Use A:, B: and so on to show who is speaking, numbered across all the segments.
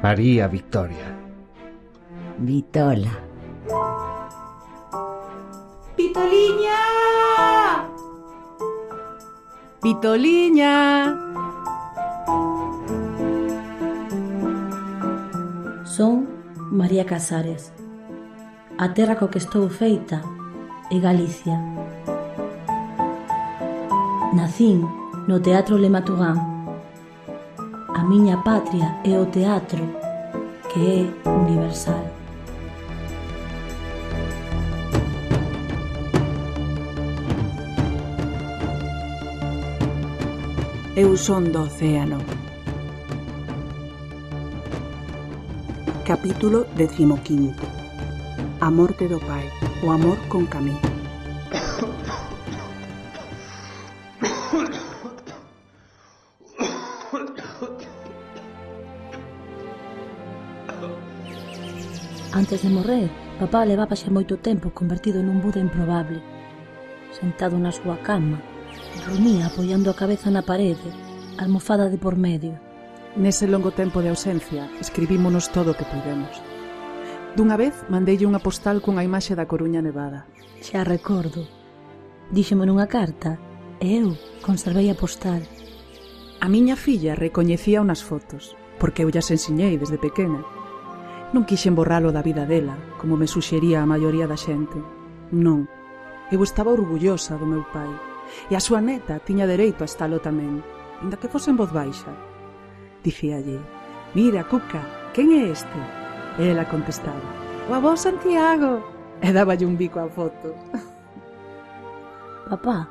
A: chamaría Victoria.
B: Vitola.
C: Vitoliña!
D: Vitoliña!
E: Son María Casares. A terra co que estou feita é Galicia. Nacín no Teatro Le Matugán. A miña patria é o teatro, que é universal.
D: Eu son do océano. Capítulo 15. A morte do pai. O amor con Camí.
E: Antes de morrer, papá levaba xa moito tempo convertido nun Buda improbable. Sentado na súa cama, rumía apoiando a cabeza na parede, almofada de por medio.
D: Nese longo tempo de ausencia, escribímonos todo o que puidemos. Dunha vez, mandeille unha postal cunha imaxe da Coruña nevada.
E: Xa recordo. Díxeme nunha carta, e eu conservei a postal.
D: A miña filla recoñecía unas fotos, porque eu llas ensiñei desde pequena. Non quixen borralo da vida dela, como me suxería a maioría da xente. Non. Eu estaba orgullosa do meu pai. E a súa neta tiña dereito a estalo tamén, ainda que fose en voz baixa. Dicíalle: "Mira, Cuca, quen é este?" E ela contestaba: "O avó Santiago." E dáballe un bico á foto.
E: Papá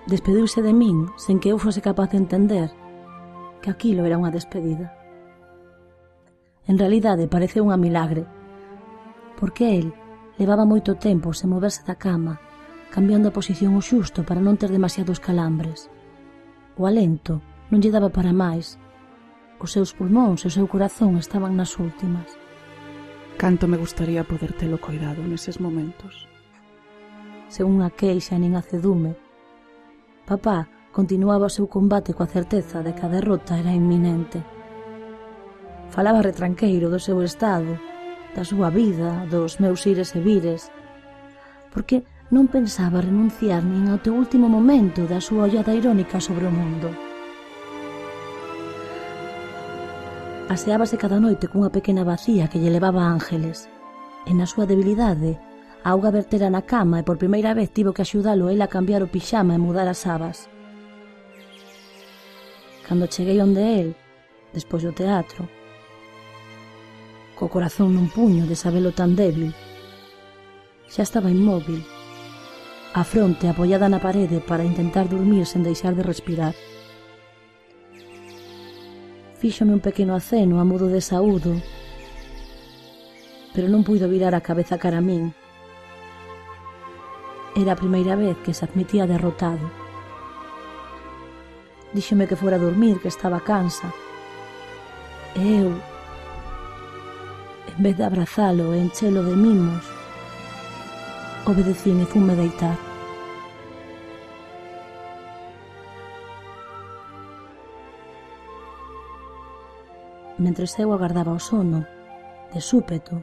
E: despediuse de min sen que eu fose capaz de entender que aquilo era unha despedida. En realidade pareceu unha milagre, porque el levaba moito tempo sen moverse da cama, cambiando a posición o xusto para non ter demasiados calambres. O alento non lle daba para máis. Os seus pulmóns e o seu corazón estaban nas últimas.
D: Canto me gustaría poder telo coidado neses momentos.
E: Sen unha queixa nin acedume, papá continuaba o seu combate coa certeza de que a derrota era inminente. Falaba retranqueiro do seu estado, da súa vida, dos meus ires e vires, porque non pensaba renunciar nin ao teu último momento da súa ollada irónica sobre o mundo. Aseábase cada noite cunha pequena vacía que lle levaba Ángeles, e na súa debilidade a auga vertera na cama e por primeira vez tivo que axudalo el a cambiar o pixama e mudar as sabas. Cando cheguei onde el, despois do teatro, co corazón nun puño de sabelo tan débil, xa estaba inmóvil, a fronte apoiada na parede para intentar dormir sen deixar de respirar. Fíxome un pequeno aceno a modo de saúdo, pero non puido virar a cabeza cara a min. Era a primeira vez que se admitía derrotado. Díxome que fora a dormir, que estaba cansa. E eu, en vez de abrazalo e enchelo de mimos, obedecín e funme deitar. Mentres eu agardaba o sono, de súpeto,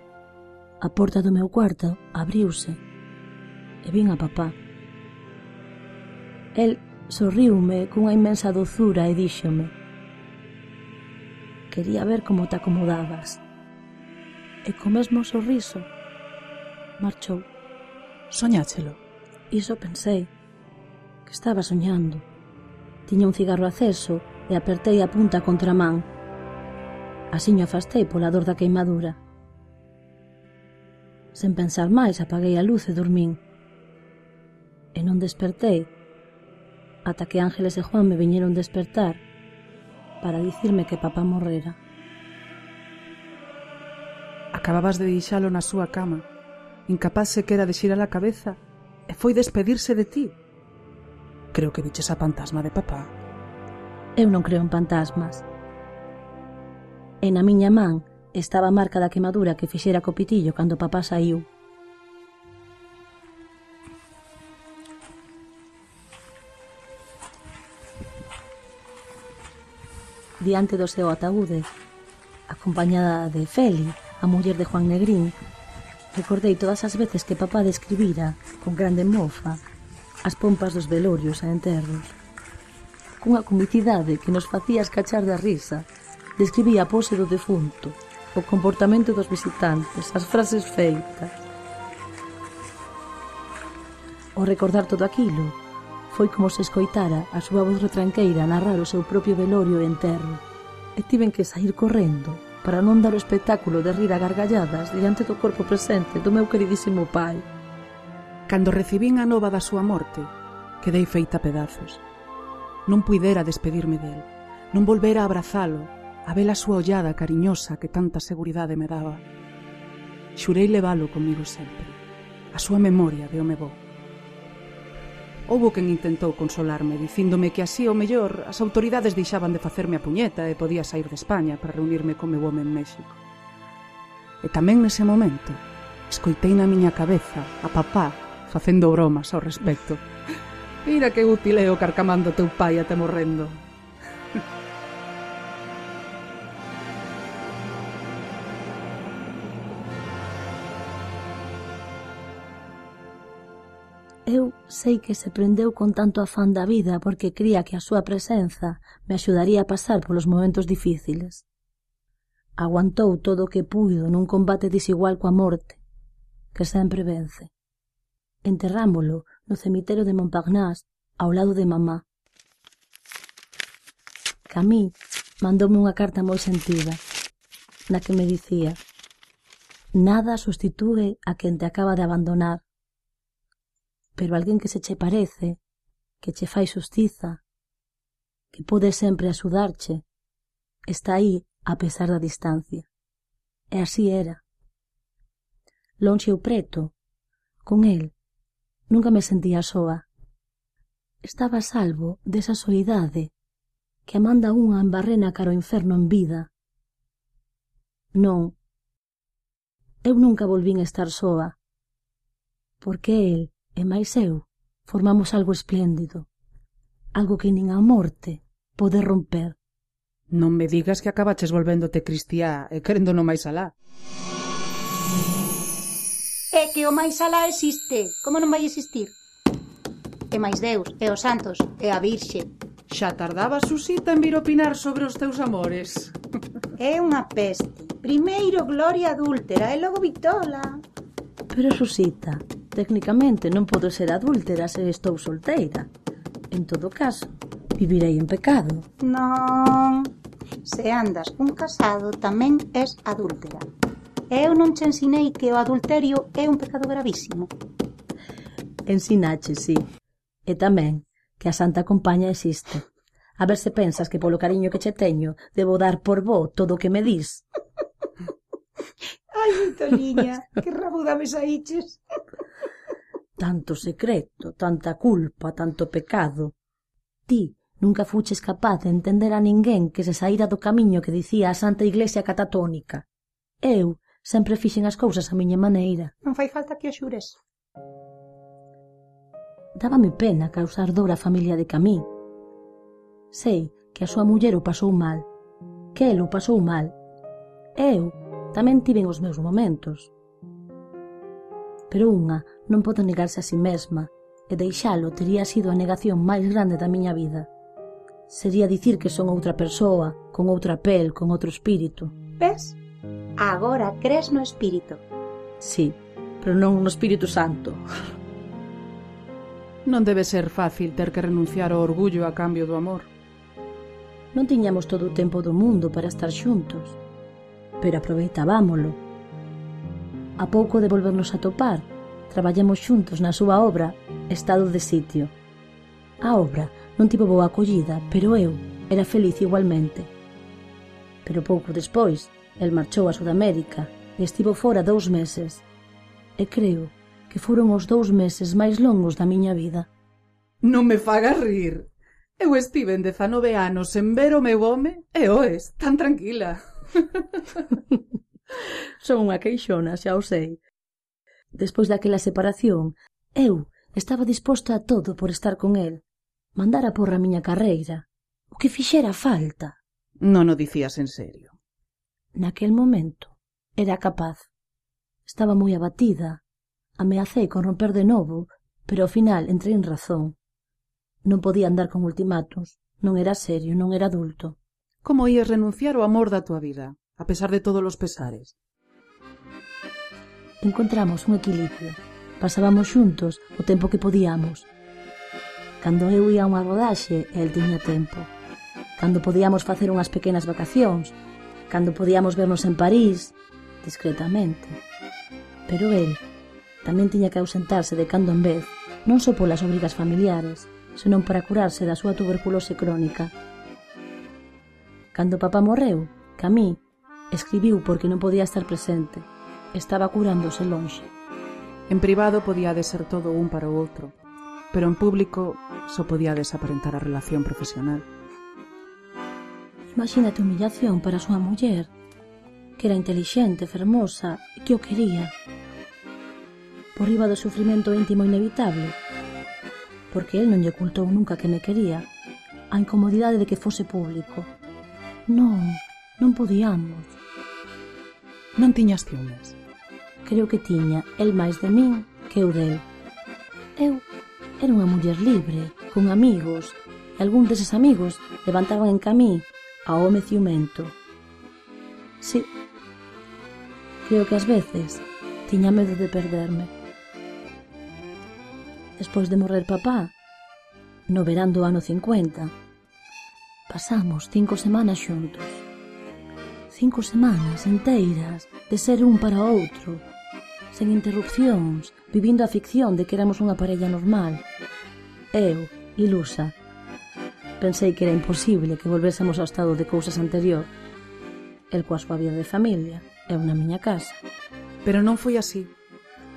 E: a porta do meu cuarto abriuse e vin a papá. El sorriume cunha inmensa dozura e díxome: "Quería ver como te acomodabas." E co mesmo sorriso marchou.
D: Soñáchelo?
E: Iso pensei, que estaba soñando. Tiña un cigarro aceso e apertei a punta contra a man. Asiño afastei pola dor da queimadura. Sen pensar máis, apaguei a luz e dormín. E non despertei ata que Ángeles e Juan me viñeron despertar para dicirme que papá morrera.
D: Acababas de deixalo na súa cama, incapaz sequera de xirar a cabeza, e foi despedirse de ti. Creo que viches a fantasma de papá.
E: Eu non creo en fantasmas. E na miña man estaba a marca da quemadura que fixera co pitillo cando papá saiu. Diante do seu ataúde, a acompañada de Feli, a muller de Juan Negrín, recordei todas as veces que papá describira, con grande mofa, as pompas dos velorios e enterros. Cunha comicidade que nos facía escachar da risa, describía a pose do defunto, o comportamento dos visitantes, as frases feitas. Ao recordar todo aquilo, foi como se escoitara a súa voz retranqueira narrar o seu propio velorio e enterro, e tiven que saír correndo para non dar o espectáculo de rir a gargalladas diante do corpo presente do meu queridísimo pai.
D: Cando recibín a nova da súa morte, quedei feita a pedazos. Non puidera despedirme del, non volvera a abrazalo, a ver a súa ollada cariñosa que tanta seguridade me daba. Xurei leválo comigo sempre, a súa memoria de home bo. Houbo quen intentou consolarme, dicíndome que así, ao mellor, as autoridades deixaban de facerme a puñeta e podía sair de España para reunirme con meu home en México. E tamén nese momento, escoitei na miña cabeza a papá facendo bromas ao respecto. Mira que útil é o carcamando teu pai até morrendo.
E: Eu sei que se prendeu con tanto afán da vida porque cría que a súa presenza me axudaría a pasar polos momentos difíciles. Aguantou todo o que puido nun combate desigual coa morte, que sempre vence. Enterrámolo no cemiterio de Montparnasse ao lado de mamá. Camille mandoume unha carta moi sentida, na que me dicía: nada sustitúe a quen te acaba de abandonar, pero alguén que se che parece, que che fai xustiza, que pode sempre axudarche, está aí a pesar da distancia. E así era. Lonxe ou preto, con el, nunca me sentía soa. Estaba a salvo desa soidade que a manda unha en barrena cara ao inferno en vida. Non, eu nunca volvín estar soa, porque el e máis eu formamos algo espléndido, algo que nin a morte pode romper.
D: Non me digas que acabaches volvéndote cristiá e querendo no máis alá.
C: É que o máis alá existe. Como non vai existir? E máis Deus, e os santos, e a Virxe.
D: Xa tardaba Susita en vir opinar sobre os teus amores.
C: É unha peste. Primeiro gloria adúltera e logo vitola.
E: Pero Susita, técnicamente non podo ser adúltera se estou solteira. En todo caso, vivirei en pecado.
C: Non. Se andas cun casado tamén és adúltera. Eu non che ensinei que o adulterio é un pecado gravísimo.
E: Ensinache, sí. E tamén que a Santa Compaña existe. A ver se pensas que polo cariño que che teño debo dar por bo todo o que me dis.
C: Ai, Vitoliña, que rabuda me saíches.
E: Tanto secreto, tanta culpa, tanto pecado. Ti nunca fuches capaz de entender a ninguén que se saíra do camiño que dicía a Santa Iglesia Catatónica. Eu sempre fixen as cousas a miña maneira.
C: Non fai falta que o xures.
E: Dábame pena causar dor á familia de Camille. Sei que a súa muller o pasou mal, que el o pasou mal. Eu tamén tiven os meus momentos. Pero unha non pode negarse a si mesma, e deixalo tería sido a negación máis grande da miña vida. Sería dicir que son outra persoa, con outra pel, con outro espírito.
C: Ves? Agora crees no espírito.
E: Sí, pero non no Espírito Santo.
D: Non debe ser fácil ter que renunciar ao orgullo a cambio do amor.
E: Non tiñamos todo o tempo do mundo para estar xuntos, pero aproveitábamolo. A pouco de volvernos a topar, traballamos xuntos na súa obra Estado de Sitio. A obra non tivo boa acollida, pero eu era feliz igualmente. Pero pouco despois, el marchou a Sudamérica e estivo fora 2 meses. E creo que foron os 2 meses máis longos da miña vida.
D: Non me fagas rir. Eu estive en 19 anos sen ver o meu home e oes, tan tranquila.
E: Son unha queixona, xa o sei. Despois daquela separación, eu estaba disposta a todo por estar con el. Mandar a porra a miña carreira. O que fixera falta.
D: Non o dicías en serio.
E: Naquel momento era capaz. Estaba moi abatida. Ameacei con romper de novo, pero ao final entrei en razón. Non podía andar con ultimátos. Non era serio, non era adulto.
D: Como ías renunciar ao amor da tua vida, a pesar de todos os pesares?
E: Encontramos un equilibrio. Pasábamos xuntos o tempo que podíamos. Cando eu ia a unha rodaxe, el tiña tempo. Cando podíamos facer unhas pequenas vacacións. Cando podíamos vernos en París, discretamente. Pero el tamén tiña que ausentarse de cando en vez, non só polas obrigas familiares, senón para curarse da súa tuberculose crónica. Cando papá morreu, Camí escribiu porque non podía estar presente. Estaba curándose lonxe.
D: En privado podíades ser todo un para o outro, pero en público só podíades aparentar a relación profesional.
E: Imagínate a humillación para a súa muller, que era intelixente, fermosa e que o quería. Por riba do sufrimento íntimo inevitable, porque el non lle ocultou nunca que me quería, a incomodidade de que fose público. Non podíamos.
D: Non tiñas ciúmes?
E: Creo que tiña el máis de min que eu del. Eu era unha muller libre, con amigos, e algún deses amigos levantaban en Camí a home ciumento. Sí, creo que ás veces tiña medo de perderme. Despois de morrer papá, no verán do ano 50, pasamos 5 semanas xuntos. 5 semanas enteiras de ser un para outro, sen interrupcións, vivindo a ficción de que éramos unha parella normal. Eu, ilusa, pensei que era imposible que volvésemos ao estado de cousas anterior. El coa súa vida de familia, eu na miña casa.
D: Pero non foi así.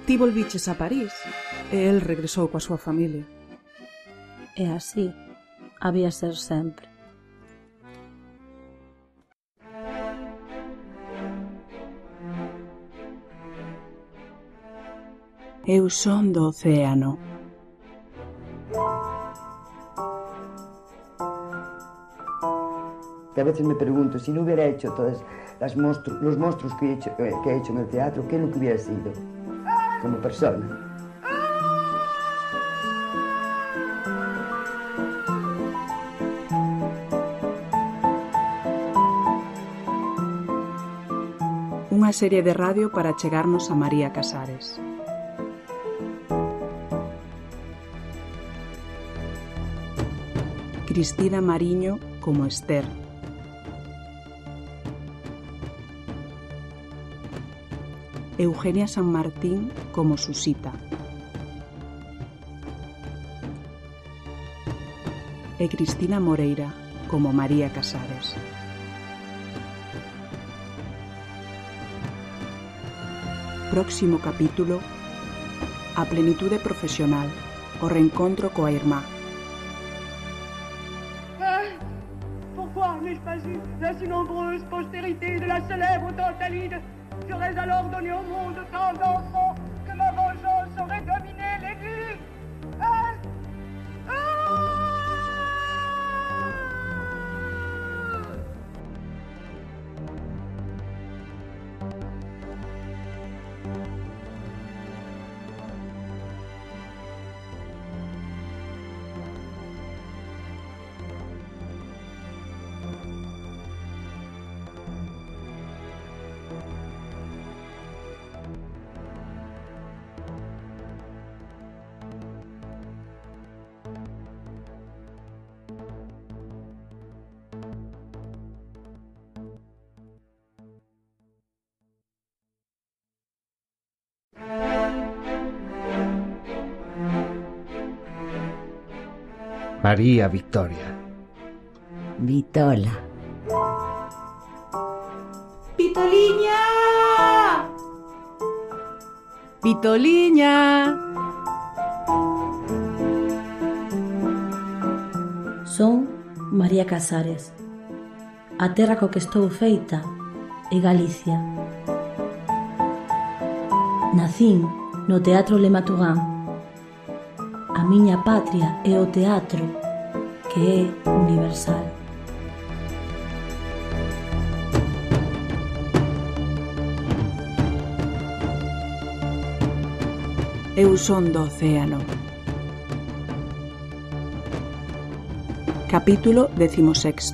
D: Ti volviches a París e el regresou coa súa familia.
E: E así había ser sempre.
A: Eu son do océano.
B: Que a veces me pregunto, si no hubiera hecho todos los monstruos que he hecho en el teatro, ¿qué es lo que hubiera sido como persona?
A: Unha serie de radio para chegarnos a María Casares. Cristina Mariño como Esther. Eugenia San Martín como Susita. E Cristina Moreira como María Casares. Próximo capítulo: a plenitude profesional, o reencontro coa irmá.
F: Pourquoi n'ai-je pas eu la si nombreuse postérité de la célèbre Tantalide? J'aurais alors donné au monde tant d'enfants que ma vengeance aurait dominé l'Église.
G: María Victoria.
B: Vitola.
C: Vitoliña!
D: Vitoliña!
E: Son María Casares. A terra co que estou feita é Galicia. Nacín no Teatro Le Matugán. A miña patria é o teatro, que é universal.
A: Eu son do océano. Capítulo 16.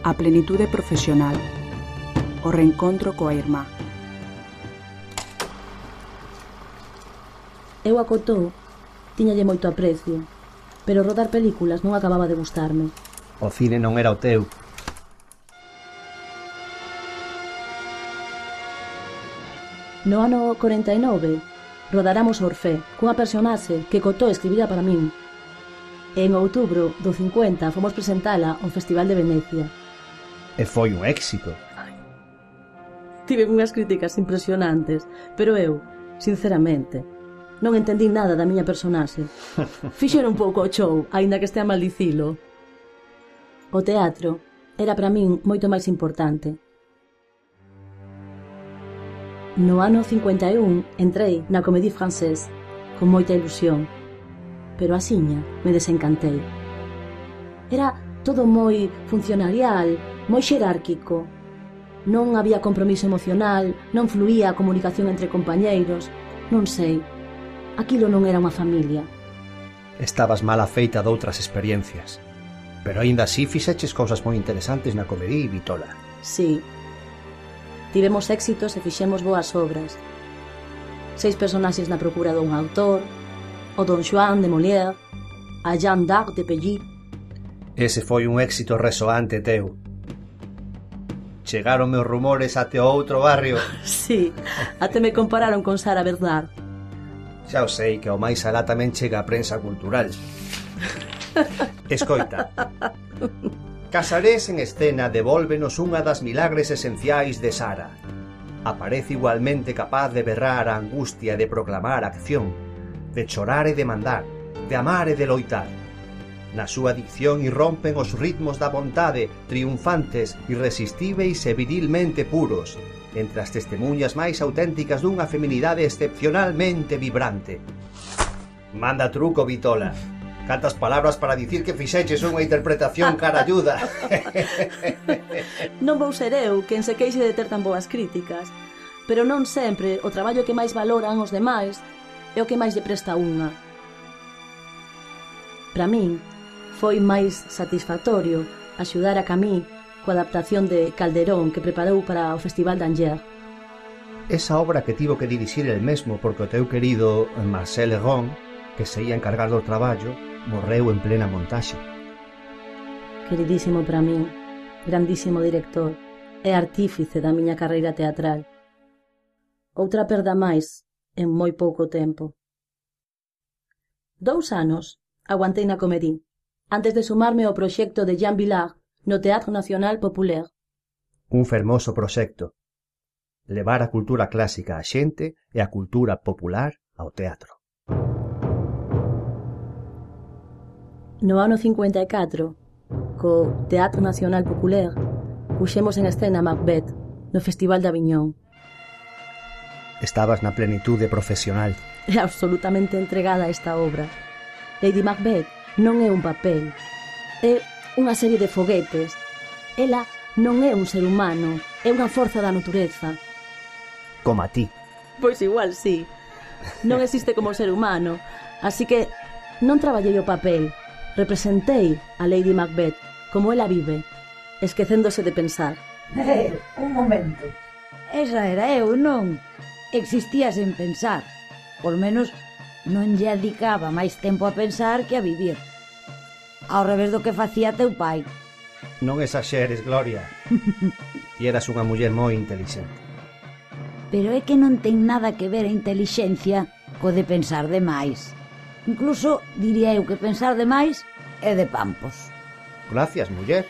A: A plenitude profesional. O reencontro coa irmá.
E: Eu a Cotó tiñalle moito aprecio, pero rodar películas non acababa de gustarme.
G: O cine non era o teu.
E: No ano 49 rodaramos Orfé, cunha personaxe que Cotó escribira para min. En outubro do 50 fomos presentala ao Festival de Venecia.
G: E foi un éxito.
E: Tive unhas críticas impresionantes, pero eu, sinceramente, non entendí nada da miña personaxe. Fixeron un pouco o show, aínda que estea mal dicilo. O teatro era para min moito máis importante. No ano 51 entrei na Comédie Française con moita ilusión, pero asiña me desencantei. Era todo moi funcionarial, moi xerárquico. Non había compromiso emocional, non fluía a comunicación entre compañeiros. Non sei, aquilo non era unha familia.
G: Estabas mal afeita doutras experiencias, pero aínda así fixeches cousas moi interesantes na Comédie, Vitola.
E: Sí. Tivemos éxitos e fixemos boas obras. 6 personaxes na procura dun autor, o Don Juan de Molière, a Jeanne d'Arc de Pelly.
G: Ese foi un éxito resoante teu. Chegaronme os rumores até o outro barrio.
E: Sí, até me compararon con Sara Bernard.
G: Xa o sei que ao máis alá tamén chega a prensa cultural. Escoita. Casares en escena devólvenos unha das milagres esenciais de Sara. Aparece igualmente capaz de berrar a angustia e de proclamar a acción, de chorar e de mandar, de amar e de loitar. Na súa dicción irrompen os ritmos da vontade, triunfantes, irresistíveis e virilmente puros, entre as testemunhas máis auténticas dunha feminidade excepcionalmente vibrante. Manda truco, Vitola. Cantas palabras para dicir que fixeches unha interpretación caralluda.
E: Non vou ser eu quen se queixe de ter tan boas críticas, pero non sempre o traballo que máis valoran os demais é o que máis lle presta unha. Para min, foi máis satisfactorio axudar a Camille coa adaptación de Calderón que preparou para o Festival d'Angers.
G: Esa obra que tivo que dirixir el mesmo porque o teu querido Marcel Legrand, que se ia encargar do traballo, morreu en plena montaxe.
E: Queridísimo para min, grandísimo director e artífice da miña carreira teatral. Outra perda máis en moi pouco tempo. 2 anos aguantei na Comédie, antes de sumarme ao proxecto de Jean Vilar no Teatro Nacional Populaire.
G: Un fermoso proxecto. Levar a cultura clásica á xente e a cultura popular ao teatro.
E: No ano 54, co Teatro Nacional Populaire, puxemos en escena Macbeth no Festival de Aviñón.
G: Estabas na plenitude profesional.
E: É absolutamente entregada a esta obra. Lady Macbeth non é un papel, é unha serie de foguetes. Ela non é un ser humano, é unha forza da natureza.
G: Como a ti.
E: Pois igual sí. Non existe como ser humano, así que non traballei o papel. Representei a Lady Macbeth como ela vive, esquecéndose de pensar.
H: Un momento. Esa era eu, non? Existía sen pensar. Por menos non lle dedicaba máis tempo a pensar que a vivir. Ao revés do que facía teu pai.
G: Non exaxeres, Gloria. Ti eras unha muller moi intelixente.
H: Pero é que non ten nada que ver a intelixencia co de pensar demais. Incluso diría eu que pensar demais é de pampos.
G: Gracias, muller.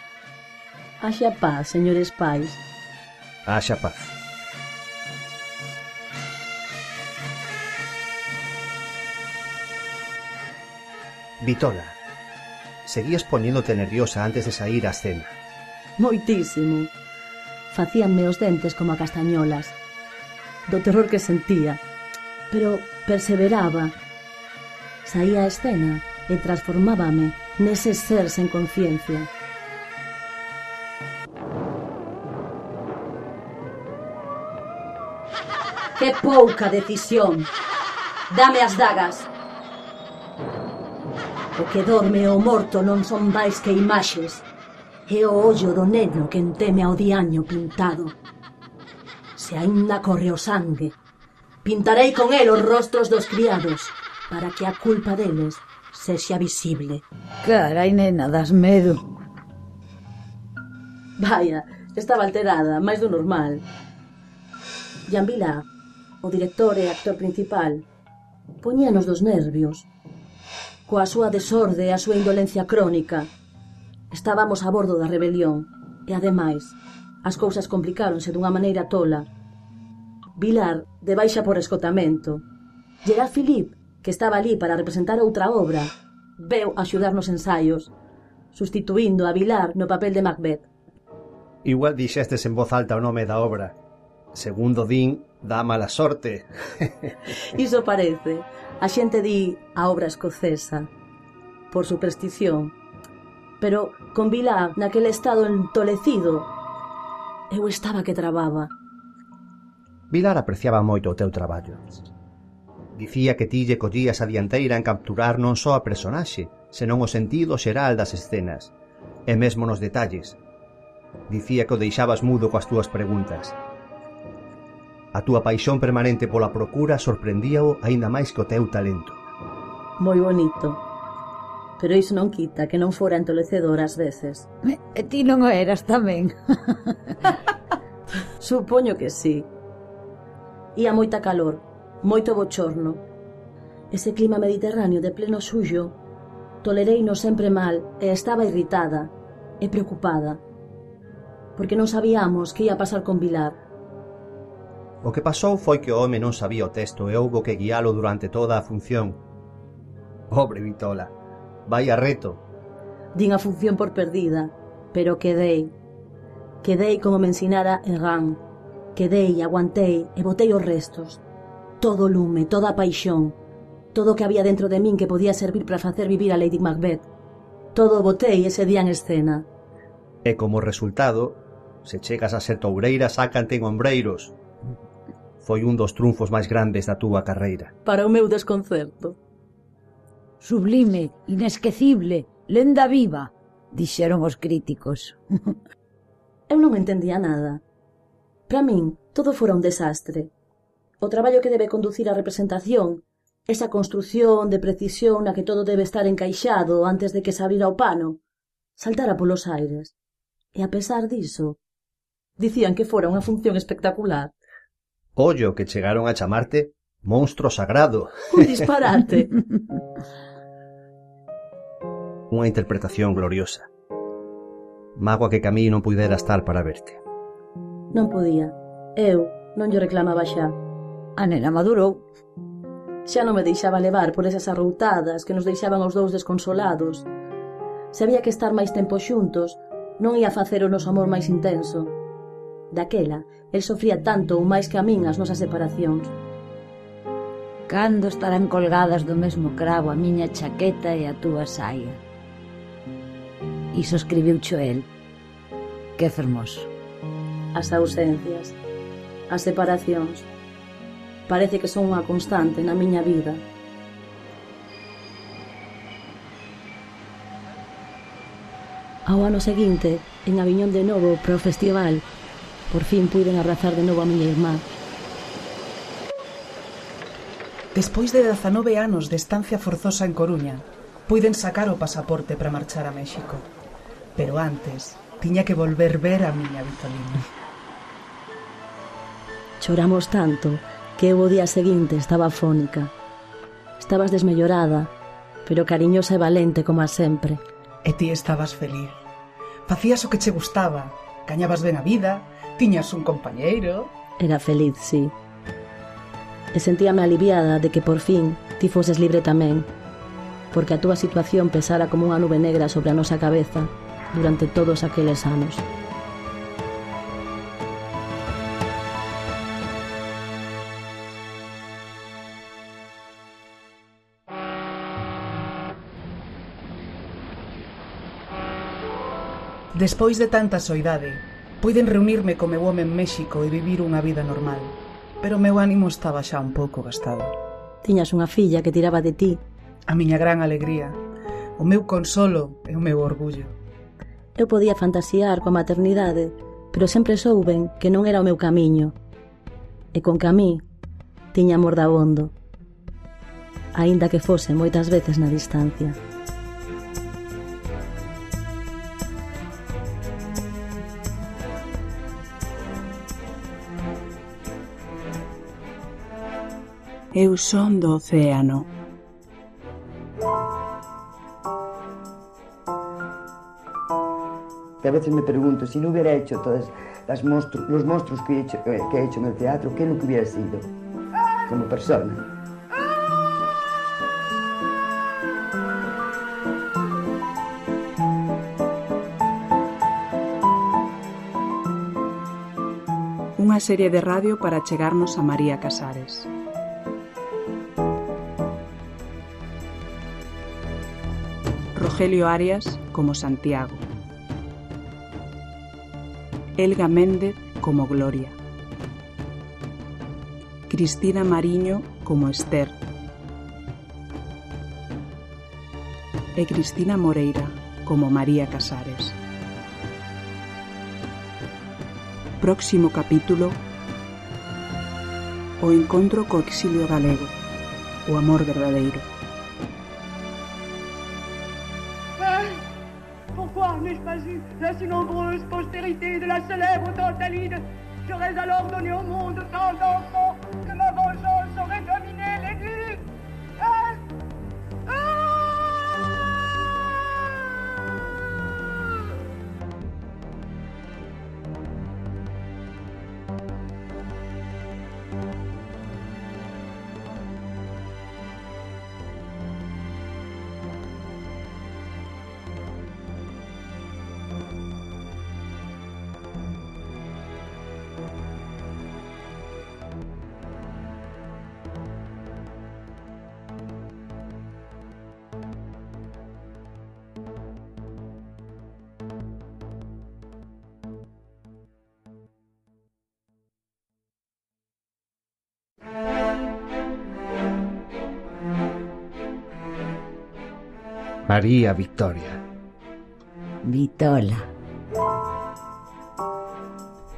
E: Haxa paz, señores pais.
G: Haxa paz. Vitola, seguías poñéndote nerviosa antes de sair á escena.
E: Moitísimo. Facíanme os dentes como a castañolas, do terror que sentía, pero perseveraba. Saía á escena e transformábame nese ser sen conciencia. Que pouca decisión! Dame as dagas. O que dorme e o morto non son máis que imaxes. É o ollo do neno que enteme ao diaño pintado. Se aínda corre o sangue, pintarei con el os rostros dos criados, para que a culpa deles sexa visible.
H: Carai, nena, das medo.
E: Vaya, estaba alterada, máis do normal. Jean Vilar, o director e actor principal, poñíanos dos nervios. Coa súa desorde e a súa indolencia crónica, estábamos a bordo da rebelión e, ademais, as cousas complicáronse dunha maneira tola. Vilar, de baixa por escotamento. Gerard Philippe, que estaba ali para representar outra obra, veu axudar nos ensaios, sustituindo a Vilar no papel de Macbeth.
G: Igual dixestes en voz alta o nome da obra. Segundo din, dá mala sorte.
E: Iso parece. A xente di a obra escocesa, por superstición. Pero con Vilar naquele estado entolecido, eu estaba que trababa.
G: Vilar apreciaba moito o teu traballo. Dicía que ti lle collías a dianteira en capturar non só a personaxe, senón o sentido xeral das escenas, e mesmo nos detalles. Dicía que o deixabas mudo coas túas preguntas. A túa paixón permanente pola procura sorprendíao aínda máis que o teu talento.
E: Moi bonito. Pero iso non quita que non fora entolecedor ás veces.
H: E ti non o eras tamén?
E: Supoño que sí. Ía moita calor, moito bochorno. Ese clima mediterráneo de pleno xullo tolereino sempre mal e estaba irritada e preocupada. Porque non sabíamos que ia pasar con Vilar.
G: O que pasou foi que o home non sabía o texto e houbo que guialo durante toda a función. Pobre Vitola, vai a reto.
E: Din a función por perdida, pero quedei. Quedei como me ensinara Egan. Quedei, aguantei e botei os restos. Todo o lume, toda a paixón, todo o que había dentro de min que podía servir para facer vivir a Lady Macbeth. Todo o botei ese día en escena.
G: E como resultado, se chegas a ser toureira, sácante en ombreiros. Foi un dos triunfos máis grandes da túa carreira.
E: Para o meu desconcerto.
H: Sublime, inesquecible, lenda viva, dixeron os críticos.
E: Eu non entendía nada. Para min, todo fora un desastre. O traballo que debe conducir a representación, esa construción de precisión na que todo debe estar encaixado antes de que se abrira o pano, saltara polos aires. E a pesar diso, dicían que fora unha función espectacular.
G: Ollo que chegaron a chamarte monstro sagrado.
E: Un disparate.
G: Unha interpretación gloriosa. Mágoa que Camí non puidera estar para verte.
E: Non podía. Eu non lle reclamaba xa.
H: A nena madurou.
E: Xa non me deixaba levar por esas arroutadas que nos deixaban os dous desconsolados. Se había que estar máis tempo xuntos, non ia facer o noso amor máis intenso. Daquela, el sofría tanto ou máis que a min as nosas separacións.
H: Cando estarán colgadas do mesmo cravo a miña chaqueta e a túa saia? Iso escribiucho el. Que fermoso.
E: As ausencias, as separacións, parece que son unha constante na miña vida. Ao ano seguinte, en Aviñón de novo para o festival, por fin puiden abrazar de novo a miña irmá.
D: Despois de 19 anos de estancia forzosa en Coruña, puiden sacar o pasaporte para marchar a México. Pero antes, tiña que volver ver a miña Vitolina.
E: Choramos tanto que eu o día seguinte estaba afónica. Estabas desmellorada, pero cariñosa e valente como a sempre.
D: E ti estabas feliz. Facías o que che gustaba, gañabas ben a vida, tiñas un compañeiro.
E: Era feliz, sí. E sentíame aliviada de que por fin ti foses libre tamén, porque a túa situación pesara como unha nube negra sobre a nosa cabeza durante todos aqueles anos.
D: Despois de tanta soidade, puiden reunirme co meu home en México e vivir unha vida normal, pero o meu ánimo estaba xa un pouco gastado.
E: Tiñas unha filla que tiraba de ti.
D: A miña gran alegría, o meu consolo e o meu orgullo.
E: Eu podía fantasear coa maternidade, pero sempre souben que non era o meu camiño. E con que a mí tiña amor dabondo, aínda que fose moitas veces na distancia.
A: Eu son do océano.
B: A veces me pregunto, si no hubiera hecho todos los monstruos que he hecho en el teatro, ¿qué es lo que hubiera sido como persona?
A: Unha serie de radio para chegarnos a María Casares. Rogelio Arias como Santiago. Elga Méndez como Gloria. Cristina Mariño como Esther. E Cristina Moreira como María Casares. Próximo capítulo: O encontro co exilio galego, o amor verdadeiro.
F: Pourquoi n'ai-je pas eu la si nombreuse postérité de la célèbre Tantalide? J'aurais alors donné au monde tant d'enfants que ma vengeance aurait dominé les nues.
G: María Victoria.
H: Vitola.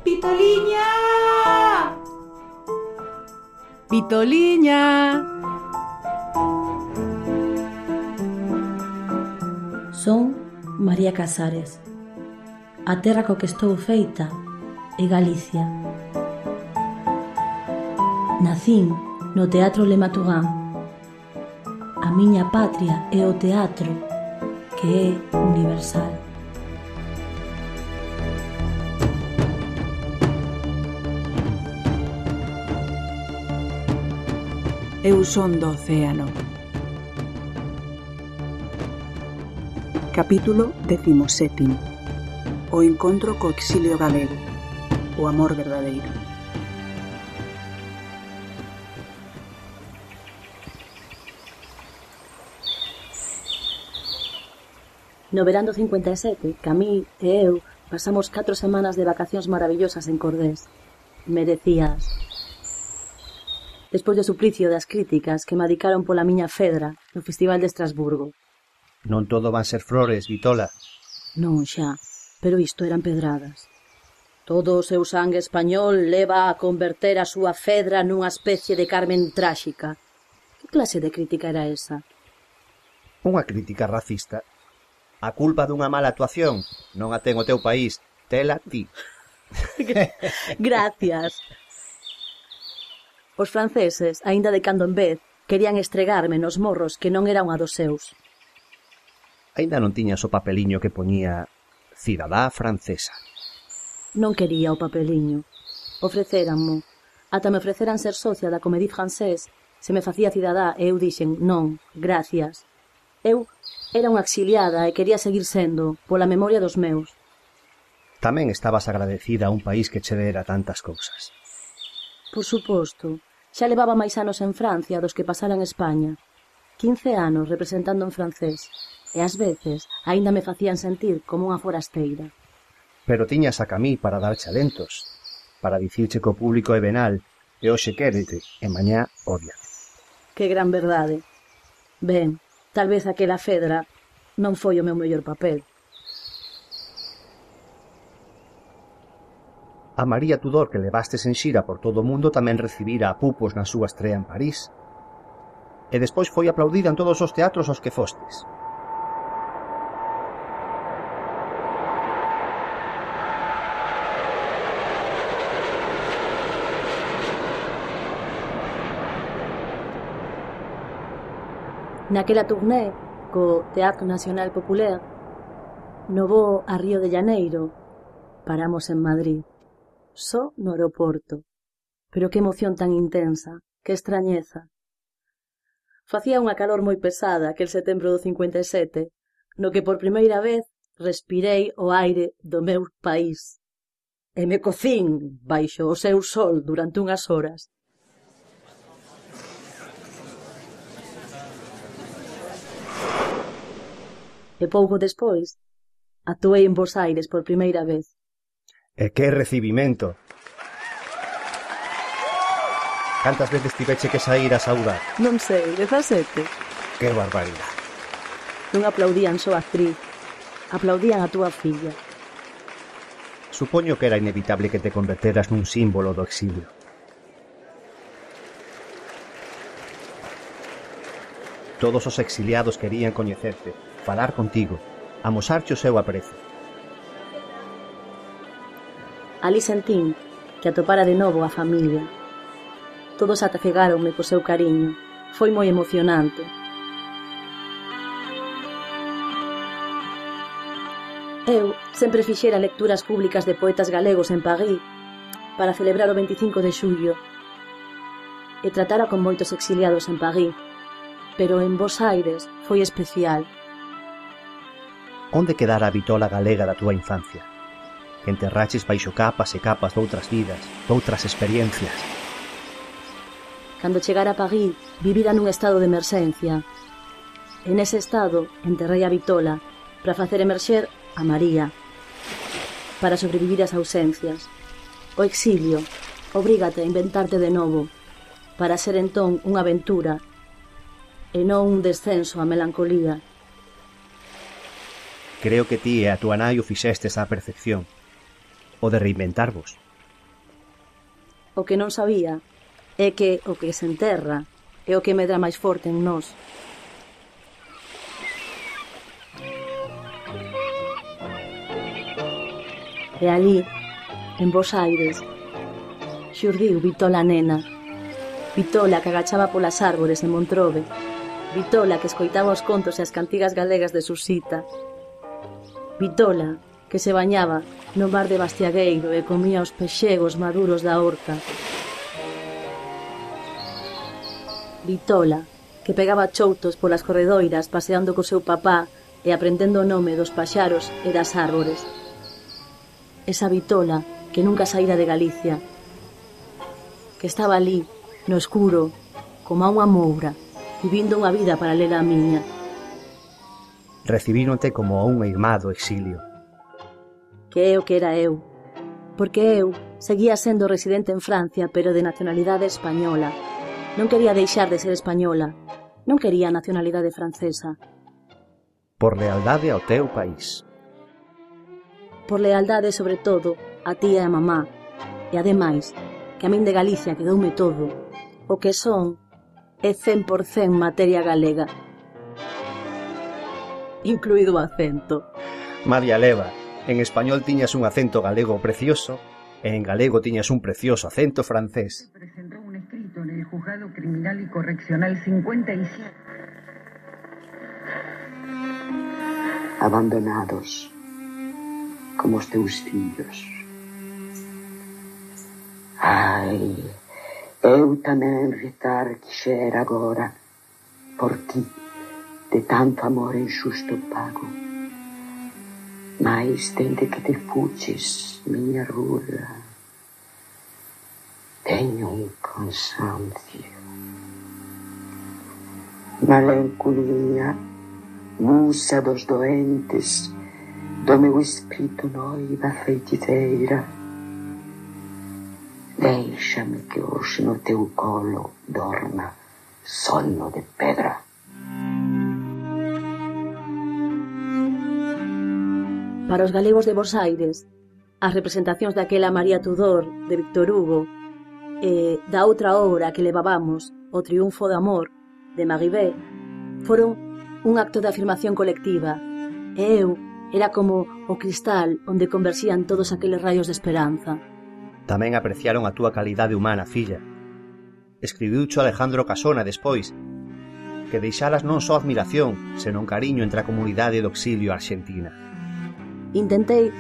D: Vitoliña! Vitoliña!
E: Son María Casares. A terra co que estou feita é Galicia. Nacín no Teatro Le Matugán. A miña patria é o teatro, que é universal.
A: Eu son do océano. Capítulo 17. O encontro co exilio galego, o amor verdadeiro.
E: No verán do 57, Camí e eu pasamos 4 semanas de vacacións maravillosas en Cordés. Merecías. Despois do suplicio das críticas que me adicaron pola miña fedra no Festival de Estrasburgo.
G: Non todo van ser flores, Vitola.
E: Non xa, pero isto eran pedradas. Todo o seu sangue español leva a converter a súa fedra nunha especie de Carmen tráxica. Que clase de crítica era esa?
G: Unha crítica racista. A culpa dunha mala actuación non a ten o teu país, tela ti.
E: Gracias. Os franceses, aínda de cando en vez, querían estregarme nos morros que non era unha dos seus.
G: Aínda non tiñas o papeliño que poñía cidadá francesa.
E: Non quería o papeliño. Ofrecéranmo. Ata me ofreceran ser socia da Comédie Française se me facía cidadá e eu dixen non, gracias. Eu era unha exiliada e quería seguir sendo, pola memoria dos meus.
G: Tamén estabas agradecida a un país que che dera tantas cousas.
E: Por suposto. Xa levaba máis anos en Francia dos que pasara en España. 15 anos representando en francés. E ás veces aínda me facían sentir como unha forasteira.
G: Pero tiñas a Camí para dar chalentos, para dicirche que o público é venal, e hoxe quérete, e mañá odia.
E: Que gran verdade. Ben, tal vez aquela Fedra non foi o meu mellor papel.
G: A María Tudor que levastes en xira por todo o mundo tamén recibira a Pupos na súa estrea en París. E despois foi aplaudida en todos os teatros aos que fostes.
E: Naquela tourné co Teatro Nacional Popular, no voo a Río de Janeiro, paramos en Madrid, só no aeroporto. Pero que emoción tan intensa, que extrañeza. Facía unha calor moi pesada aquel setembro do 57, no que por primeira vez respirei o aire do meu país. E me cocín baixo o seu sol durante unhas horas. E pouco despois, actuei en Bos Aires por primeira vez.
G: E que recibimento! Cantas veces tiveche que sair a saudar?
E: Non sei, 17.
G: Que barbaridade!
E: Non aplaudían só a actriz, aplaudían a túa filla.
G: Supoño que era inevitable que te converteras nun símbolo do exilio. Todos os exiliados querían coñecerte, falar contigo, amosarche o seu aprecio.
E: Ali sentín que atopara de novo a familia. Todos atafegáronme co seu cariño. Foi moi emocionante. Eu sempre fixera lecturas públicas de poetas galegos en París para celebrar o 25 de xullo e tratara con moitos exiliados en París, pero en Bos Aires foi especial.
G: Onde quedara a vitola galega da túa infancia? Que enterraches baixo capas e capas doutras vidas, doutras experiencias.
E: Cando chegara a París, vivira nun estado de emerxencia. En ese estado, enterrei a vitola para facer emerxer a María, para sobrevivir as ausencias. O exilio obrígate a inventarte de novo, para ser entón unha aventura e non un descenso á melancolía.
G: Creo que ti e a túa nai o fixestes á perfección, o de reinventarvos.
E: O que non sabía é que o que se enterra é o que medra máis forte en nós. E ali, en Bos Aires, xurdiu Vitola nena, Vitola que agachaba polas árbores en Montrove, Vitola que escoitaba os contos e as cantigas galegas de Susita, Vitola que se bañaba no mar de Bastiagueiro e comía os pexegos maduros da horta, Vitola que pegaba choutos polas corredoiras paseando co seu papá e aprendendo o nome dos paxaros e das árbores. Esa Vitola que nunca saíra de Galicia, que estaba ali, no escuro, como a unha moura, vivindo unha vida paralela á miña.
G: Recibíronte como a unha irmá do exilio.
E: Que é o que era eu, porque eu seguía sendo residente en Francia, pero de nacionalidade española. Non quería deixar de ser española, non quería a nacionalidade francesa.
G: Por lealdade ao teu país.
E: Por lealdade, sobre todo, a ti e a mamá, e ademais, que a min de Galicia quedoume todo, o que son é 100% materia galega, incluído o acento.
G: María Leva, en español tiñas un acento galego precioso e en galego tiñas un precioso acento francés.
I: Presentó un escrito en el Juzgado Criminal y Correccional 57.
B: Abandonados, como os teus fillos. Ai, eu tamén retar quixera agora por ti, de tanto amor injusto pago. Mais dende que te fuches, miña rula, teño un cansancio. Melancolía, musa dos doentes, do meu espírito noiva feiticeira. Deixa-me que hoxe no teu colo dorma
J: sono de pedra.
E: Para os galegos de Bos Aires, as representacións daquela María Tudor de Víctor Hugo e da outra obra que levabamos, O triunfo do amor, de Maribé, foron un acto de afirmación colectiva, e eu era como o cristal onde converxían todos aqueles raios de esperanza.
G: Tamén apreciaron a túa calidade humana, filla. Escribiucho Alejandro Casona despois, que deixaras non só admiración, senón cariño entre a comunidade do exilio arxentina.
E: Intentei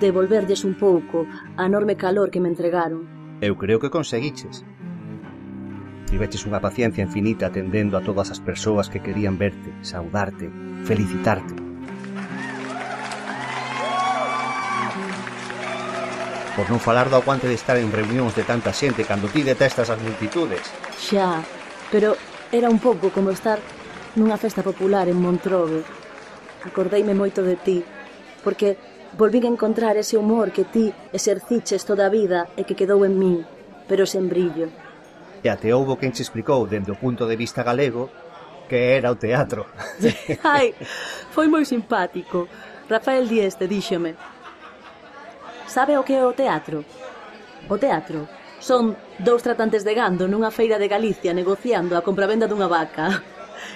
E: devolverlles un pouco a enorme calor que me entregaron.
G: Eu creo que conseguiches. Tiveches unha paciencia infinita atendendo a todas as persoas que querían verte, saudarte, felicitarte. Por non falar do aguante de estar en reunións de tanta xente cando ti detestas as multitudes.
E: Xa, pero era un pouco como estar nunha festa popular en Montrove. Acordeime moito de ti, porque volvín a encontrar ese humor que ti exerciches toda a vida e que quedou en min, pero sen brillo.
G: E até houbo quen che explicou dende o punto de vista galego que era o teatro.
E: Ai, foi moi simpático. Rafael Dieste díxome: sabe o que é o teatro? O teatro son dous tratantes de gando nunha feira de Galicia negociando a compravenda dunha vaca.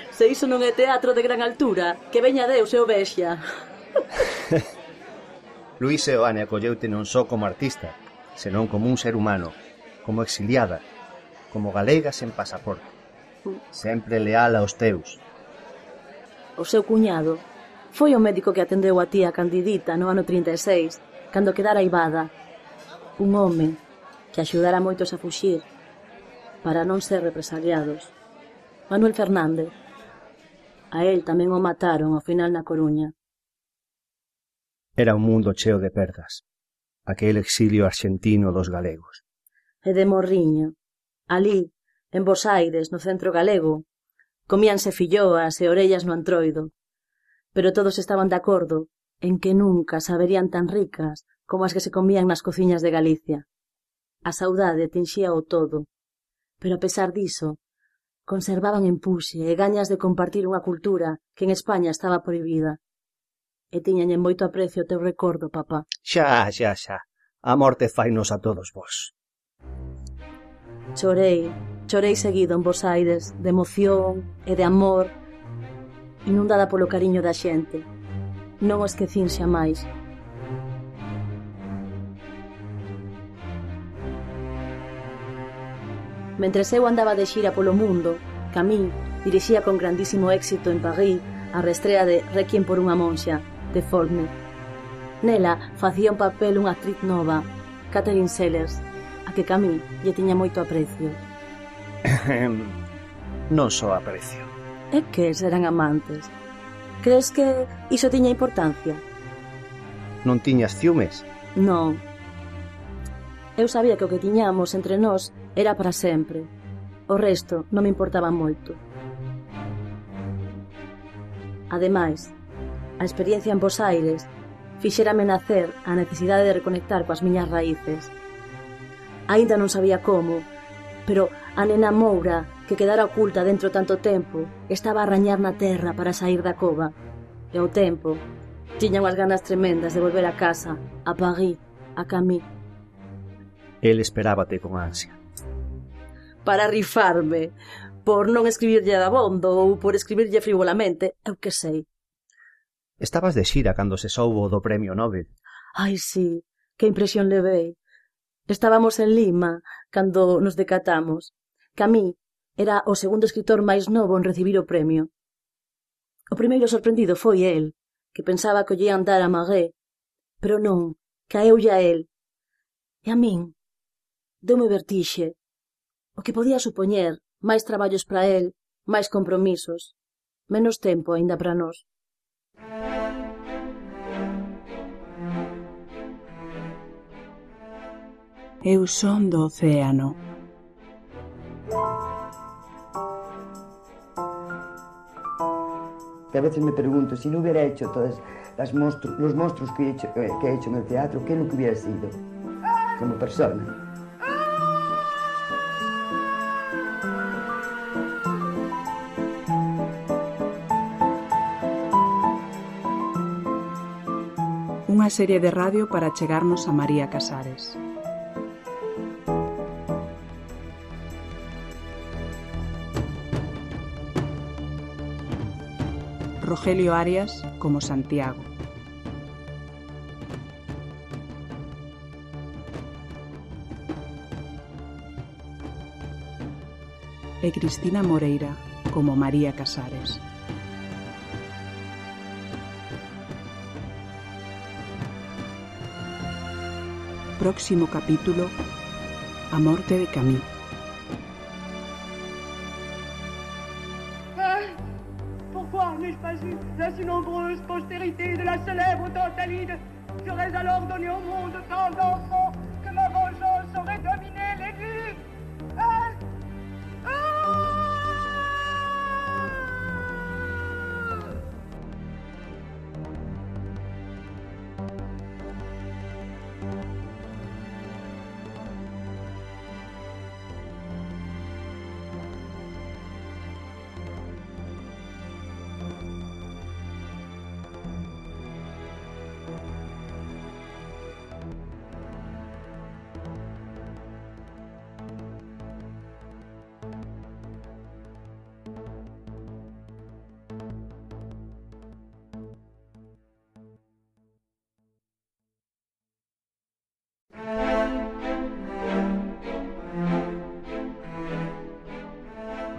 E: Se iso non é teatro de gran altura, que veña Deus e o vexa.
G: Luís Seoane acolleute non só como artista, senón como un ser humano, como exiliada, como galega sen pasaporte, sempre leal aos teus.
E: O seu cuñado foi o médico que atendeu a tía Candidita no ano 36, cando quedara aivada. Un home que axudara moitos a fuxir para non ser represaliados. Manuel Fernández. A él tamén o mataron ao final na Coruña.
G: Era un mundo cheo de perdas, aquel exilio arxentino dos galegos.
E: E de Morriño. Alí, en Bos Aires, no centro galego, comíanse filloas e orellas no Antroido, pero todos estaban de acordo en que nunca saberían tan ricas como as que se comían nas cociñas de Galicia. A saudade tinxía o todo, pero a pesar diso, conservaban empuxe e gañas de compartir unha cultura que en España estaba prohibida. E tiñan en moito aprecio o teu recordo, papá.
G: Xa. A morte fainos a todos vos.
E: Chorei seguido en Bos Aires, de emoción e de amor, inundada polo cariño da xente. Non o esquecín xa máis. Mentres eu andaba de xira polo mundo, Camille dirixía con grandísimo éxito en París a reestrea de Requiem por unha monxa, de Faulkner. Nela facía un papel unha actriz nova, Catherine Sellers, a que Camille lle tiña moito aprecio.
G: Non só aprecio.
E: É que eran amantes. Crees que iso tiña importancia?
G: Non tiñas ciúmes?
E: Non. Eu sabía que o que tiñamos entre nós era para sempre. O resto non me importaba moito. Ademais, a experiencia en Bos Aires fixérame nacer a necesidade de reconectar coas miñas raíces. Aínda non sabía como, pero a nena Moura, que quedara oculta dentro tanto tempo, estaba a rañar na terra para sair da cova. E ao tempo, tiña unhas ganas tremendas de volver a casa, a París, a Camille.
G: El esperábate con ansia.
E: Para rifarme, por non escribirlle dabondo ou por escribirlle frivolamente, eu que sei.
G: Estabas de xira cando se soubo do premio Nobel.
E: Ai, sí, que impresión levei. Estábamos en Lima cando nos decatamos. Camille era o segundo escritor máis novo en recibir o premio. O primeiro sorprendido foi el, que pensaba que o lle andar a Marais, pero non, caeulle a el. E a min deume vertixe. O que podía supoñer máis traballos para el, máis compromisos, menos tempo aínda para nós.
A: Eu son do océano.
B: Que a veces me pregunto, si no hubiera hecho todos los monstruos que he hecho en el teatro, ¿qué es lo que hubiera sido como persona?
A: Unha serie de radio para chegarnos a María Casares. Rogelio Arias como Santiago. E Cristina Moreira como María Casares. Próximo capítulo: A morte de Camille.
F: Pourquoi n'ai-je pas eu la si nombreuse postérité de la célèbre Tantalide? J'aurais alors donné au monde tant d'enfants que ma vengeance aurait dominé les vies.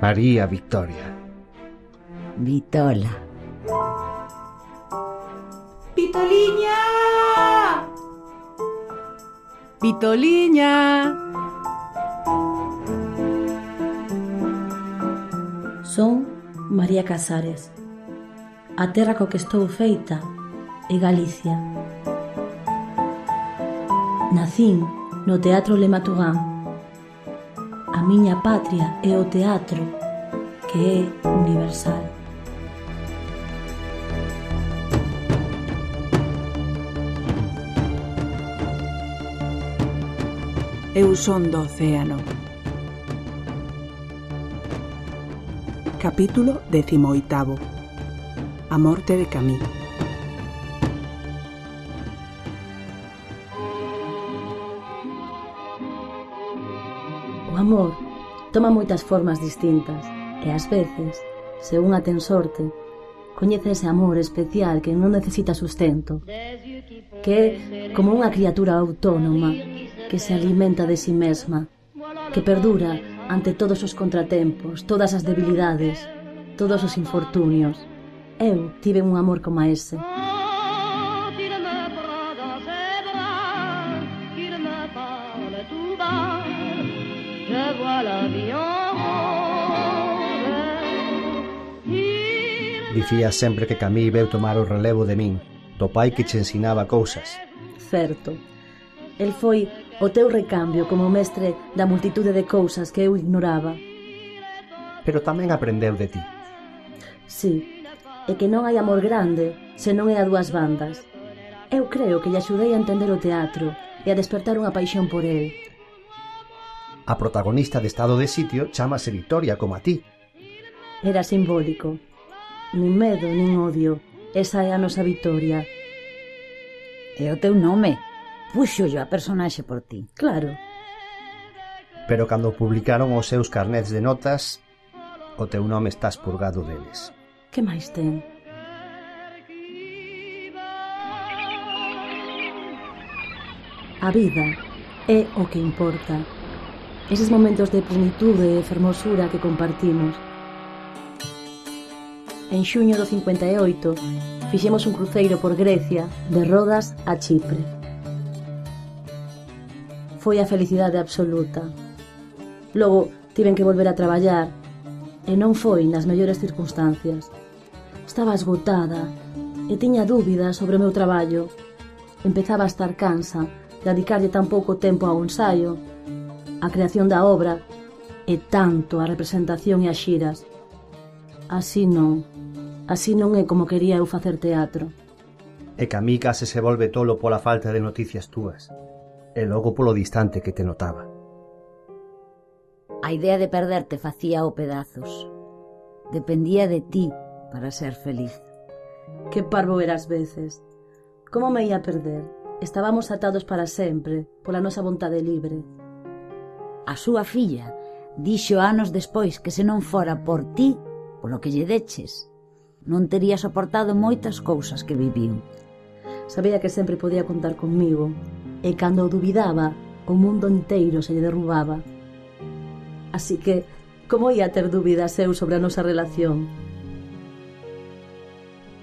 G: María Victoria.
H: Vitola.
D: Vitoliña! Vitoliña!
E: Son María Casares. A terra co que estou feita é Galicia. Nacín no Teatro Le Matugán. A miña patria é o teatro, que é universal.
A: Eu son do océano. Capítulo 18. A morte de Camille.
E: O amor toma moitas formas distintas e ás veces, se unha ten sorte, coñece ese amor especial que non necesita sustento, que é como unha criatura autónoma que se alimenta de si mesma, que perdura ante todos os contratempos, todas as debilidades, todos os infortunios. Eu tive un amor como ese.
G: Dicías sempre que Camille veu tomar o relevo de min, do pai que che ensinaba cousas.
E: Certo. El foi o teu recambio como mestre da multitude de cousas que eu ignoraba.
G: Pero tamén aprendeu de ti.
E: Sí, é que non hai amor grande se non é a dúas bandas. Eu creo que lle axudei a entender o teatro e a despertar unha paixón por el.
G: A protagonista de Estado de Sitio chámase Victoria como a ti.
E: Era simbólico. Nin medo, nin odio. Esa é a nosa Victoria.
H: É o teu nome. Puxo yo a personaxe por ti.
E: Claro.
G: Pero cando publicaron os seus carnets de notas, o teu nome está expurgado deles.
E: Que máis ten? A vida é o que importa. Eses momentos de plenitude e fermosura que compartimos. En xuño do 58 fixemos un cruceiro por Grecia de Rodas a Chipre. Foi a felicidade absoluta. Logo tiven que volver a traballar e non foi nas mellores circunstancias. Estaba esgotada e tiña dúbidas sobre o meu traballo. Empezaba a estar cansa de dedicarlle tan pouco tempo ao ensaio, a creación da obra e tanto a representación e as xiras. Así non é como quería eu facer teatro.
G: E Camille case se volve tolo pola falta de noticias túas, e logo polo distante que te notaba.
H: A idea de perderte facía o pedazos. Dependía de ti para ser feliz.
E: Que parvo era ás veces. Como me ia perder? Estábamos atados para sempre, pola nosa vontade libre.
H: A súa filla dixo anos despois que se non fora por ti, polo que lle deches, non tería soportado moitas cousas que viviu.
E: Sabía que sempre podía contar conmigo, e cando o dubidaba, o mundo inteiro se lle derrubaba. Así que, como ia ter dúbidas eu sobre a nosa relación?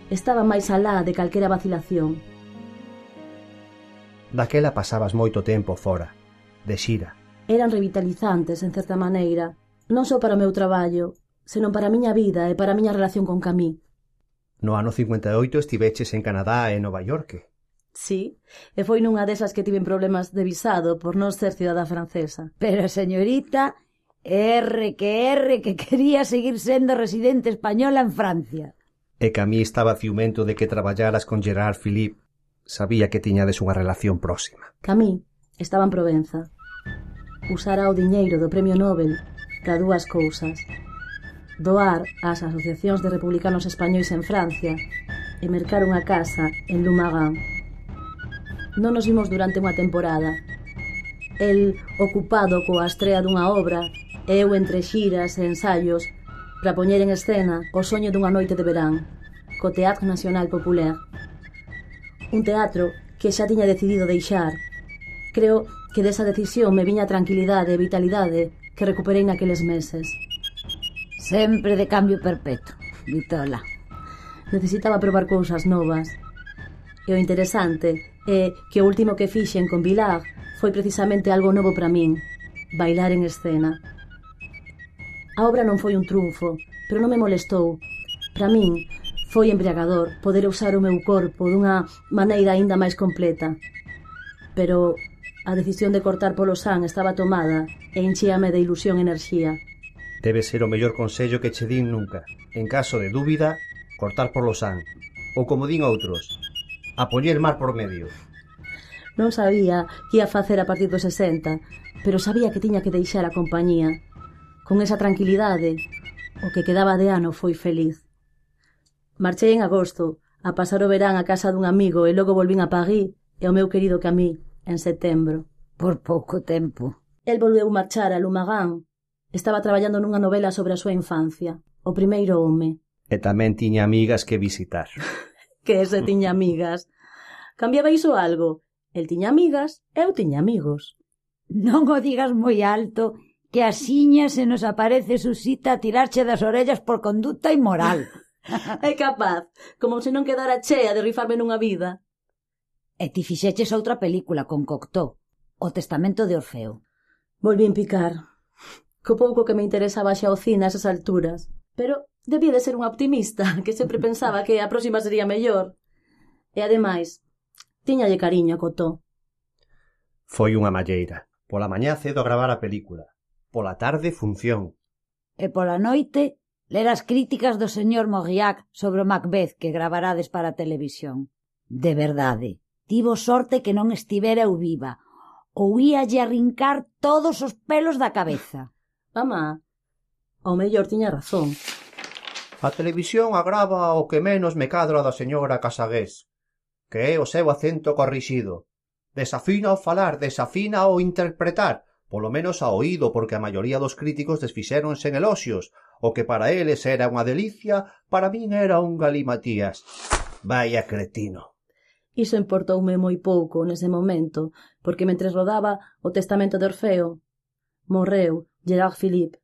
E: Estaba máis alá de calquera vacilación.
G: Daquela pasabas moito tempo fora, de xira.
E: Eran revitalizantes, en certa maneira, non só para o meu traballo, senón para a miña vida e para a miña relación con Camille.
G: No ano 58 estiveches en Canadá e Nova York.
E: Sí, e foi nunha desas que tiven problemas de visado por non ser cidadá francesa.
H: Pero, señorita, que quería seguir sendo residente española en Francia.
G: E Camille estaba ciumento de que traballaras con Gerard Philippe. Sabía que tiñades unha relación próxima.
E: Camille estaba en Provenza. Usara o diñeiro do Premio Nobel para dúas cousas: doar ás asociacións de republicanos españois en Francia e mercar unha casa en Lumagan. Non nos vimos durante unha temporada. El ocupado coa estrea dunha obra e eu entre xiras e ensaios para poñer en escena o soño dunha noite de verán co Teatre Nacional Populaire, un teatro que xa tiña decidido deixar. Creo que desa decisión me viña a tranquilidade e vitalidade que recuperei naqueles meses.
H: Sempre de cambio perpetuo, Vitola.
E: Necesitaba probar cousas novas. E o interesante é que o último que fixen con Vilar foi precisamente algo novo para min: bailar en escena. A obra non foi un triunfo, pero non me molestou. Para min foi embriagador poder usar o meu corpo dunha maneira aínda máis completa. Pero a decisión de cortar polo san estaba tomada e enchíame de ilusión e enerxía.
G: Debe ser o mellor consello que che din nunca. En caso de dúbida, cortar polo san. Ou como din outros, a poñer mar por medio.
E: Non sabía que ia facer a partir dos 60, pero sabía que tiña que deixar a compañía. Con esa tranquilidade, o que quedaba de ano foi feliz. Marchei en agosto a pasar o verán a casa dun amigo e logo volvín a París e ao meu querido Camille en setembro.
H: Por pouco tempo.
E: El volveu marchar a Lumagan. Estaba traballando nunha novela sobre a súa infancia, O primeiro home.
G: E tamén tiña amigas que visitar.
E: Que ese tiña amigas. Cambiaba iso algo. El tiña amigas e eu tiña amigos.
H: Non o digas moi alto, que asiña se nos aparece Susita a tirarche das orellas por conducta inmoral.
E: É capaz, como se non quedara chea de rifarme nunha vida.
H: E ti fixeches outra película con Cocteau, O testamento de Orfeo.
E: Volvín picar. Co pouco que me interesaba xa o cine a esas alturas. Pero debía de ser unha optimista, que sempre pensaba que a próxima sería mellor. E ademais, tiñalle cariño a Cocteau.
G: Foi unha malleira. Pola mañá cedo a gravar a película. Pola tarde, función.
H: E pola noite, ler as críticas do señor Mauriac sobre o Macbeth que gravarades para a televisión. De verdade, tivo sorte que non estivera eu viva, ou íalle arrincar todos os pelos da cabeza.
E: Mamá, ao mellor tiña razón.
G: A televisión agrava o que menos me cadra da señora Casagués, que é o seu acento corrixido. Desafina ao falar, desafina ao interpretar, polo menos a oído, porque a maioría dos críticos desfixéronse en eloxios. O que para eles era unha delicia, para min era un galimatías. Vaya cretino.
E: Iso importoume moi pouco nese momento, porque mentres rodaba O testamento de Orfeo, morreu Gerard Philippe,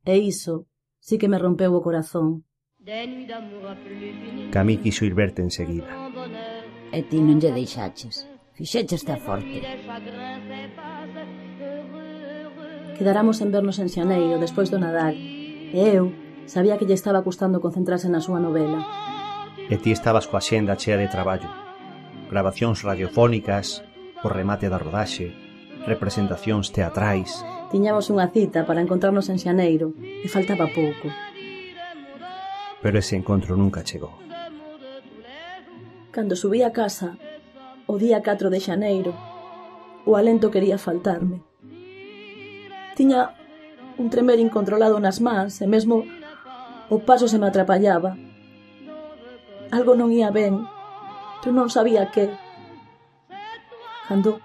E: e iso sí que me rompeu o corazón.
G: Camille quiso ir verte enseguida.
H: E ti non lle deixaches. Fixécheste a forte.
E: Quedáramos en vernos en xaneiro, despois do Nadal, e eu sabía que lle estaba custando concentrarse na súa novela.
G: E ti estabas coa xenda chea de traballo. Gravacións radiofónicas, o remate da rodaxe, representacións teatrais.
E: Tiñamos unha cita para encontrarnos en xaneiro, e faltaba pouco.
G: Pero ese encontro nunca chegou.
E: Cando subí a casa, o día 4 de xaneiro, o alento quería faltarme. Tiña un tremer incontrolado nas mans e mesmo o paso se me atrapallaba. Algo non ía ben, pero non sabía que. Cando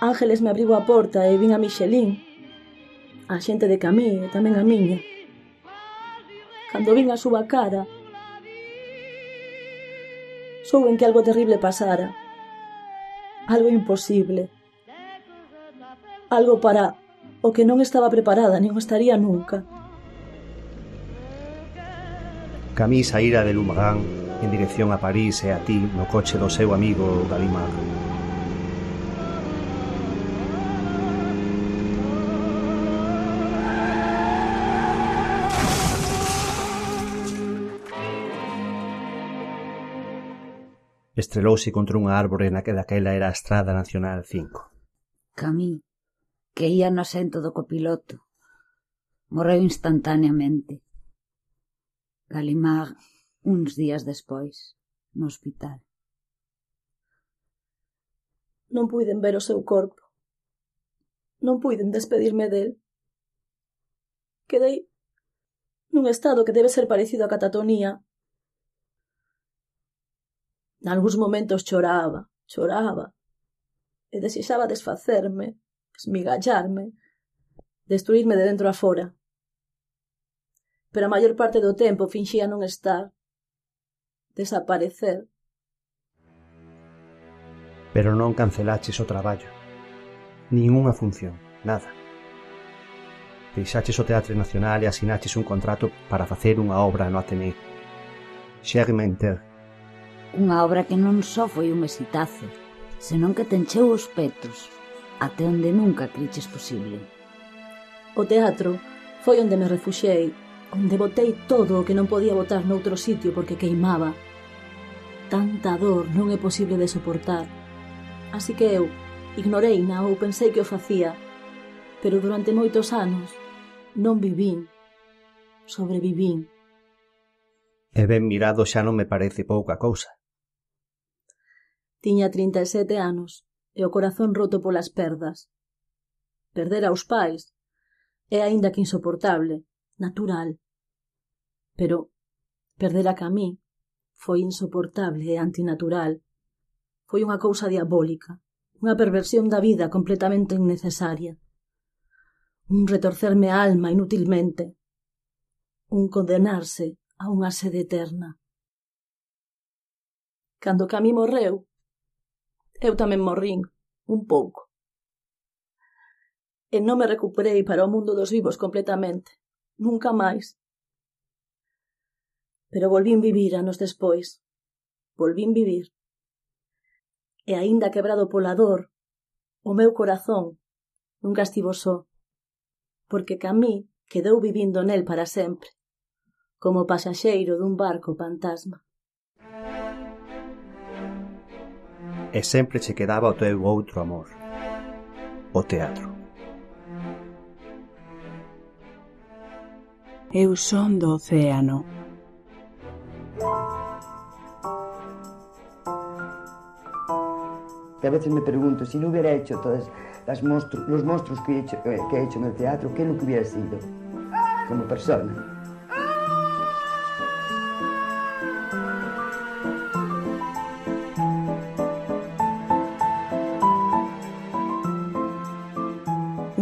E: Ángeles me abriu a porta e vin a Michelín, a xente de Camí e tamén a miña. Cando vin a súa cara, souben que algo terrible pasara. Algo imposible. Algo para o que non estaba preparada nin o estaría nunca.
G: Camí saíra de Lumagan en dirección a París e a ti no coche do seu amigo Galimard. Estrelouse contra unha árbore na que daquela era a Estrada Nacional 5.
H: Camí, que ía no asento do copiloto, morreu instantaneamente. Galimard, uns días despois, no hospital.
E: Non puiden ver o seu corpo. Non puiden despedirme del. Quedei nun estado que debe ser parecido á catatonía. Nalgúns momentos choraba e desexaba desfacerme, esmigallarme, destruirme de dentro a fora. Pero a maior parte do tempo finxía non estar, desaparecer.
G: Pero non cancelaches o traballo, nin unha función, nada. Deixaches o Teatro Nacional e asinaches un contrato para facer unha obra no Ateneo. Germain-Ter.
H: Unha obra que non só foi un exitazo, senón que te encheu os petos, até onde nunca criches posible.
E: O teatro foi onde me refuxei, onde botei todo o que non podía botar noutro sitio porque queimaba. Tanta dor non é posible de soportar. Así que eu ignoreina ou pensei que o facía, pero durante moitos anos non vivín, sobrevivín.
G: E ben mirado xa non me parece pouca cousa.
E: Tiña 37 anos e o corazón roto polas perdas. Perder aos pais é aínda que insoportable, natural. Pero perder a Camí foi insoportable e antinatural. Foi unha cousa diabólica, unha perversión da vida completamente innecesaria. Un retorcerme a alma inútilmente. Un condenarse a unha sede eterna. Cando Camí morreu, eu tamén morrín, un pouco. E non me recuperei para o mundo dos vivos completamente, nunca máis. Pero volvín vivir anos despois. Volvín vivir. E aínda quebrado pola dor, o meu corazón nunca estivo só, porque Camí quedou vivindo nel para sempre, como pasaxeiro dun barco fantasma.
G: E sempre che quedaba o teu outro amor, o teatro.
A: Eu son do océano.
B: A veces me pregunto, si no hubiera hecho todos los monstruos que he hecho en el teatro, ¿qué es lo que hubiera sido como persona?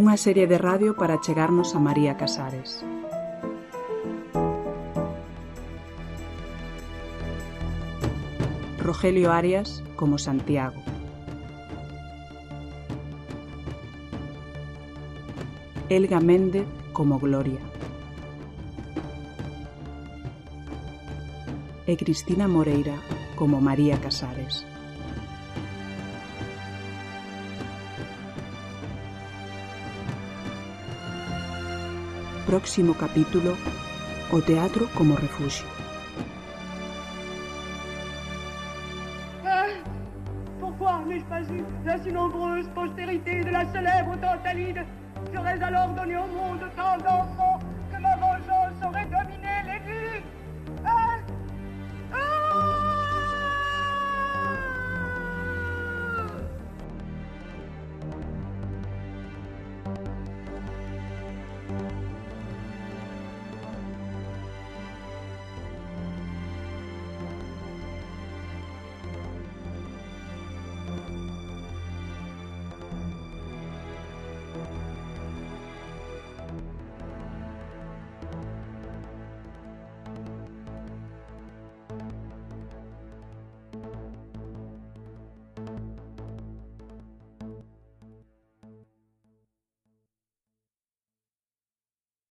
A: Unha serie de radio para chegarnos a María Casares. Rogelio Arias como Santiago. Elga Méndez como Gloria. E Cristina Moreira como María Casares. Próximo capítulo: o teatro como refugio.
F: Pourquoi n'ai-je pas eu la si nombreuse postérité de la célèbre Tantalide? J'aurais alors donné au monde tant d'enfants que ma vengeance aurait dominé les vues.